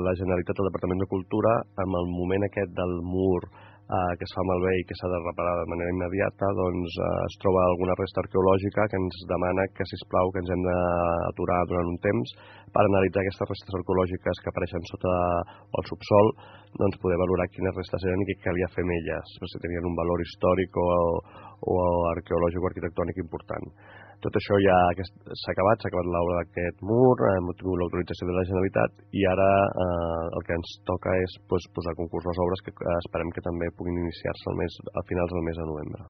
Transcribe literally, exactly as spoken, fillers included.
La Generalitat, el Departament de Cultura, amb el moment aquest del mur eh, que es fa malbé i que s'ha de reparar de manera immediata, doncs eh, es troba alguna resta arqueològica que ens demana que, sisplau, que ens hem d'aturar durant un temps per analitzar aquestes restes arqueològiques que apareixen sota el subsol, doncs poder valorar quines restes eren i què calia fer amb elles, si tenien un valor històric o, o arqueològic o arquitectònic important. Tot això ja s'ha acabat, s'ha acabat l'obra d'aquest mur, hem obtingut l'autorització de la Generalitat i ara eh, el que ens toca és pues, posar a concurs les obres que eh, esperem que també puguin iniciar-se al mes, a finals del mes de novembre.